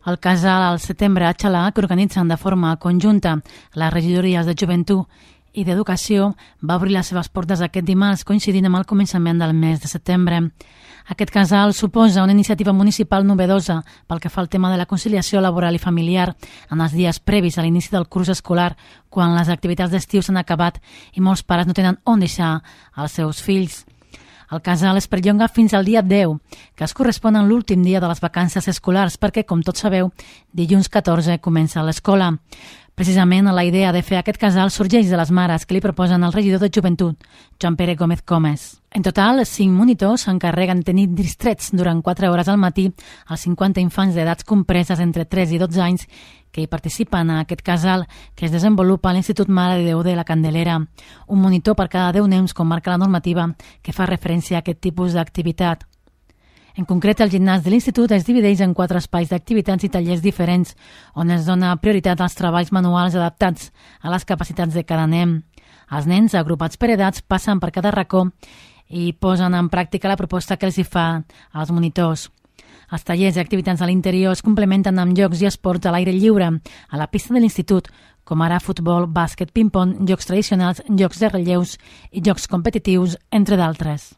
El casal al setembre a Xalà, que organitzen de forma conjunta les regidories de Joventut i d'Educació, va obrir les seves portes aquest dimarts, coincidint amb el començament del mes de setembre. Aquest casal suposa una iniciativa municipal novedosa pel que fa al tema de la conciliació laboral i familiar en els dies previs a l'inici del curs escolar, quan les activitats d'estiu s'han acabat i molts pares no tenen on deixar els seus fills. El casal es perllonga fins al dia 10, que es correspon a l'últim dia de les vacances escolars, perquè, com tots sabeu, dilluns 14 comença l'escola. Precisament la idea de fer aquest casal sorgeix de les mares que li proposen al regidor de Joventut, Joan Pere Gómez Comes. En total, 5 monitors s'encarreguen de tenir distrets durant 4 hores al matí als 50 infants d'edats compreses entre 3 i 12 anys que hi participen a aquest casal que es desenvolupa a l'Institut Mare de Déu de la Candelera. Un monitor per cada 10 nens, com marca la normativa, que fa referència a aquest tipus d'activitat. En concret, el gimnàs de l'Institut es divideix en 4 espais d'activitats i tallers diferents, on es dona prioritat als treballs manuals adaptats a les capacitats de cada nen. Els nens, agrupats per edats, passen per cada racó i posen en pràctica la proposta que els hi fa als monitors. Els tallers i activitats a l'interior es complementen amb jocs i esports a l'aire lliure, a la pista de l'Institut, com ara futbol, bàsquet, ping-pong, jocs tradicionals, jocs de relleus i jocs competitius, entre d'altres.